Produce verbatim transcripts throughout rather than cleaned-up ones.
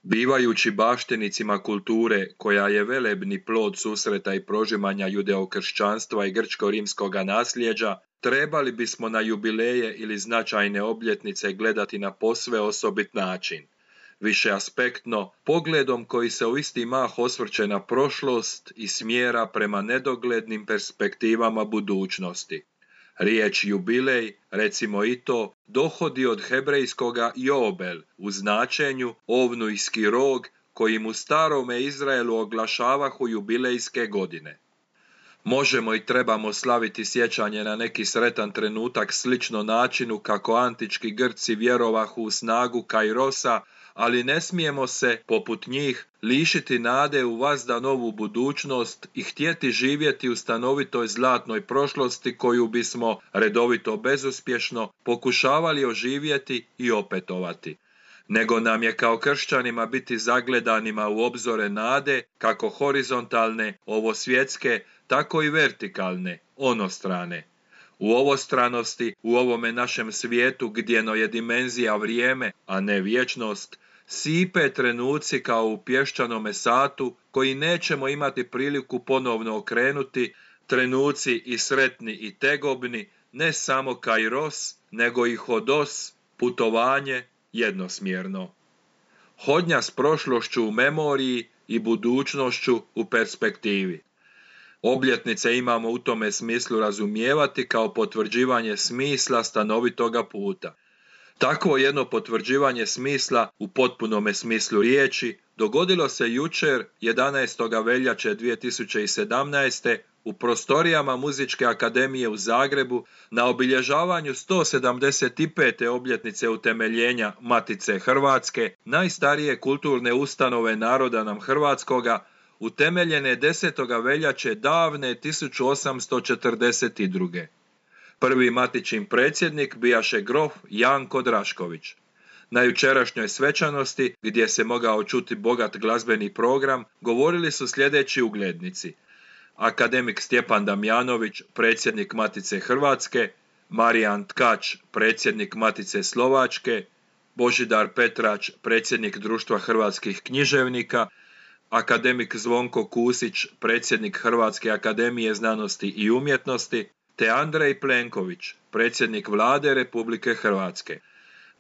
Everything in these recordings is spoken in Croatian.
Bivajući baštenicima kulture koja je velebni plod susreta i prožimanja judeokršćanstva i grčko-rimskoga nasljeđa, trebali bismo na jubileje ili značajne obljetnice gledati na posve osobit način, višeaspektno, pogledom koji se u isti mah osvrće na prošlost i smjera prema nedoglednim perspektivama budućnosti. Riječ jubilej, recimo i to, dohodi od hebrejskoga jobel u značenju ovnujski rog kojim u starome Izraelu oglašavahu jubilejske godine. Možemo i trebamo slaviti sjećanje na neki sretan trenutak slično načinu kako antički Grci vjerovahu u snagu Kairosa, ali ne smijemo se, poput njih, lišiti nade u vazda novu budućnost i htjeti živjeti u stanovitoj zlatnoj prošlosti koju bismo, redovito bezuspješno, pokušavali oživjeti i opetovati. Nego nam je kao kršćanima biti zagledanima u obzore nade, kako horizontalne, ovosvjetske, tako i vertikalne, onostrane. U ovostranosti, u ovome našem svijetu gdjeno je dimenzija vrijeme, a ne vječnost, sipe trenuci kao u pješčanome satu koji nećemo imati priliku ponovno okrenuti, trenuci i sretni i tegobni, ne samo kairos, nego i hodos, putovanje jednosmjerno. Hodnja s prošlošću u memoriji i budućnošću u perspektivi. Obljetnice imamo u tome smislu razumijevati kao potvrđivanje smisla stanovitoga puta. Takvo jedno potvrđivanje smisla u potpunome smislu riječi dogodilo se jučer jedanaestog veljače dvije tisuće sedamnaeste. u prostorijama Muzičke akademije u Zagrebu na obilježavanju sto sedamdeset pete obljetnice utemeljenja Matice Hrvatske, najstarije kulturne ustanove naroda nam hrvatskoga, utemeljene desetog veljače davne tisuću osamsto četrdeset druge. Prvi matičin predsjednik bijaše grof Janko Drašković. Na jučerašnjoj svečanosti, gdje se mogao čuti bogat glazbeni program, govorili su sljedeći uglednici: akademik Stjepan Damjanović, predsjednik Matice Hrvatske, Marijan Tkač, predsjednik Matice Slovačke, Božidar Petrač, predsjednik Društva hrvatskih književnika, akademik Zvonko Kusić, predsjednik Hrvatske akademije znanosti i umjetnosti, te Andrej Plenković, predsjednik Vlade Republike Hrvatske.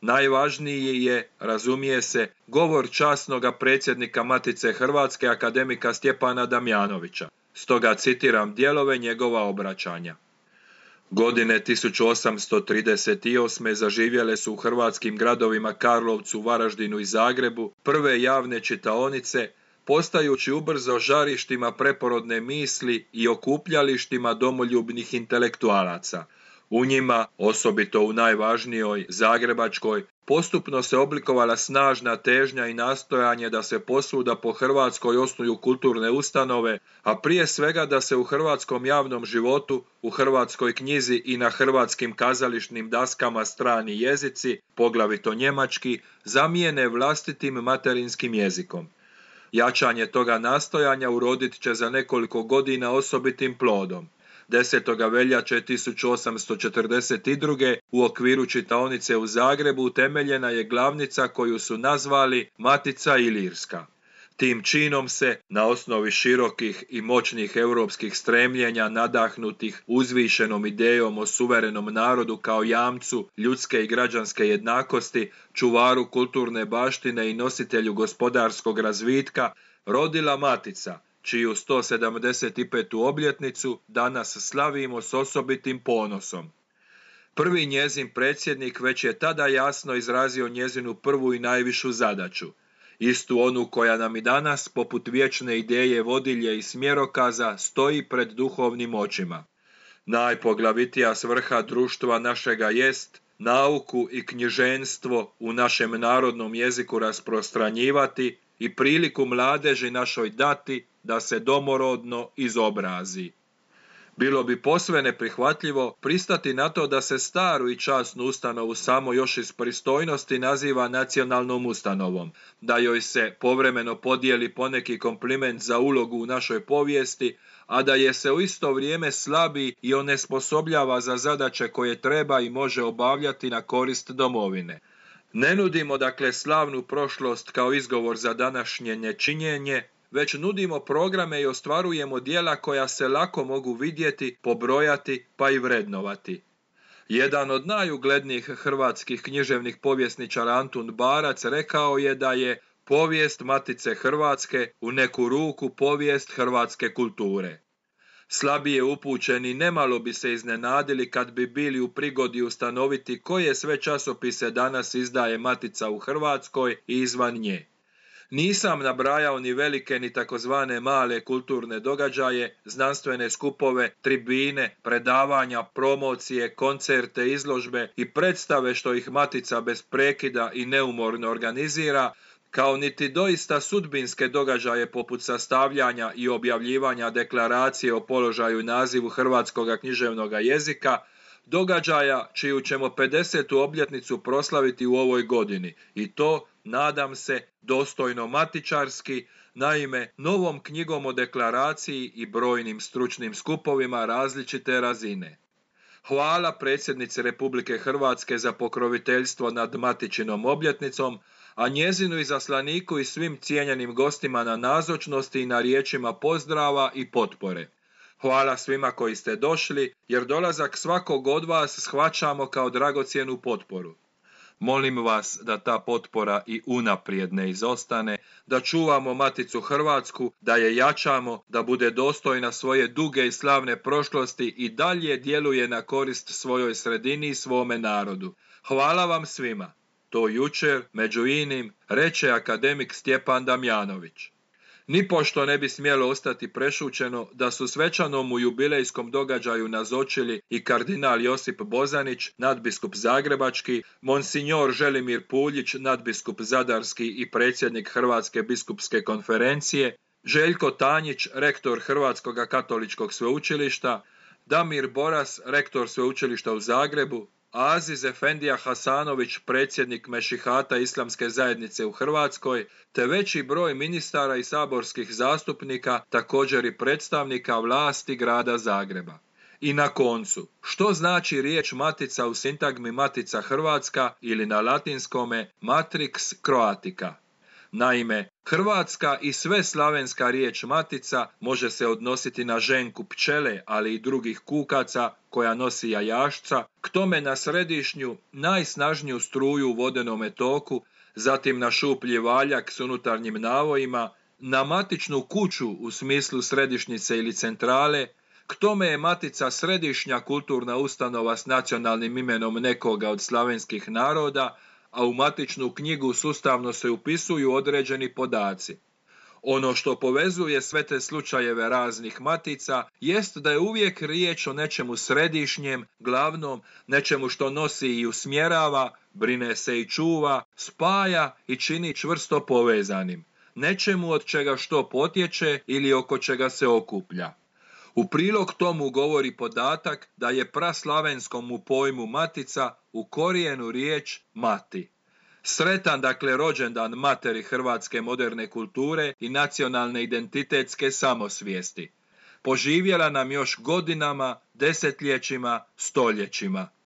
Najvažniji je, razumije se, govor časnoga predsjednika Matice Hrvatske akademika Stjepana Damjanovića. Stoga citiram dijelove njegova obraćanja. Godine tisuću osamsto trideset osme. zaživjele su u hrvatskim gradovima Karlovcu, Varaždinu i Zagrebu prve javne čitaonice, postajući ubrzo žarištima preporodne misli i okupljalištima domoljubnih intelektualaca. U njima, osobito u najvažnijoj, zagrebačkoj, postupno se oblikovala snažna težnja i nastojanje da se posvuda po Hrvatskoj osnuju kulturne ustanove, a prije svega da se u hrvatskom javnom životu, u hrvatskoj knjizi i na hrvatskim kazališnim daskama strani jezici, poglavito njemački, zamijene vlastitim materinskim jezikom. Jačanje toga nastojanja urodit će za nekoliko godina osobitim plodom. desetog veljače tisuću osamsto četrdeset druge. u okviru čitaonice u Zagrebu utemeljena je glavnica koju su nazvali Matica Ilirska. Tim činom se, na osnovi širokih i moćnih europskih stremljenja nadahnutih uzvišenom idejom o suverenom narodu kao jamcu ljudske i građanske jednakosti, čuvaru kulturne baštine i nositelju gospodarskog razvitka, rodila Matica, čiju sto sedamdeset petu obljetnicu danas slavimo s osobitim ponosom. Prvi njezin predsjednik već je tada jasno izrazio njezinu prvu i najvišu zadaću, istu onu koja nam i danas, poput vječne ideje vodilje i smjerokaza, stoji pred duhovnim očima. Najpoglavitija svrha društva našega jest nauku i knjiženstvo u našem narodnom jeziku rasprostranjivati i priliku mladeži našoj dati da se domorodno izobrazi. Bilo bi posve neprihvatljivo pristati na to da se staru i časnu ustanovu samo još iz pristojnosti naziva nacionalnom ustanovom, da joj se povremeno podijeli poneki kompliment za ulogu u našoj povijesti, a da je se u isto vrijeme slabi i onesposobljava za zadaće koje treba i može obavljati na korist domovine. Ne nudimo dakle slavnu prošlost kao izgovor za današnje nečinjenje, već nudimo programe i ostvarujemo djela koja se lako mogu vidjeti, pobrojati pa i vrednovati. Jedan od najuglednijih hrvatskih književnih povjesničara Antun Barac rekao je da je povijest Matice Hrvatske u neku ruku povijest hrvatske kulture. Slabije upućeni nemalo bi se iznenadili kad bi bili u prigodi ustanoviti koje sve časopise danas izdaje Matica u Hrvatskoj i izvan nje. Nisam nabrajao ni velike ni takozvane male kulturne događaje, znanstvene skupove, tribine, predavanja, promocije, koncerte, izložbe i predstave što ih Matica bez prekida i neumorno organizira, kao niti doista sudbinske događaje poput sastavljanja i objavljivanja deklaracije o položaju i nazivu hrvatskog književnog jezika, događaja čiju ćemo pedesetu obljetnicu proslaviti u ovoj godini, i to, nadam se, dostojno matičarski, naime novom knjigom o deklaraciji i brojnim stručnim skupovima različite razine. Hvala predsjednici Republike Hrvatske za pokroviteljstvo nad Matičinom obljetnicom, a njezinu izaslaniku i svim cijenjenim gostima na nazočnosti i na riječima pozdrava i potpore. Hvala svima koji ste došli, jer dolazak svakog od vas shvaćamo kao dragocjenu potporu. Molim vas da ta potpora i unaprijed ne izostane, da čuvamo Maticu Hrvatsku, da je jačamo, da bude dostojna svoje duge i slavne prošlosti i dalje djeluje na korist svojoj sredini i svome narodu. Hvala vam svima. To jučer, među inim, reče akademik Stjepan Damjanović. Nipošto ne bi smjelo ostati prešućeno da su svečanom u jubilejskom događaju nazočili i kardinal Josip Bozanić, nadbiskup zagrebački, monsinjor Želimir Puljić, nadbiskup zadarski i predsjednik Hrvatske biskupske konferencije, Željko Tanjić, rektor Hrvatskog katoličkog sveučilišta, Damir Boras, rektor sveučilišta u Zagrebu, Aziz Efendija Hasanović, predsjednik Mešihata Islamske zajednice u Hrvatskoj, te veći broj ministara i saborskih zastupnika, također i predstavnika vlasti grada Zagreba. I na koncu, što znači riječ Matica u sintagmi Matica Hrvatska ili na latinskome Matrix Croatica? Naime, hrvatska i sve slavenska riječ Matica može se odnositi na ženku pčele, ali i drugih kukaca koja nosi jajašca, k tome na središnju, najsnažniju struju u vodenome toku, zatim na šuplji valjak s unutarnjim navojima, na matičnu kuću u smislu središnjice ili centrale, k tome je Matica središnja kulturna ustanova s nacionalnim imenom nekoga od slavenskih naroda, a u matičnu knjigu sustavno se upisuju određeni podaci. Ono što povezuje sve te slučajeve raznih matica jest da je uvijek riječ o nečemu središnjem, glavnom, nečemu što nosi i usmjerava, brine se i čuva, spaja i čini čvrsto povezanim, nečemu od čega što potječe ili oko čega se okuplja. U prilog tomu govori podatak da je praslavenskom u pojmu matica u korijenu riječ mati. Sretan dakle rođendan materi hrvatske moderne kulture i nacionalne identitetske samosvijesti. Poživjela nam još godinama, desetljećima, stoljećima.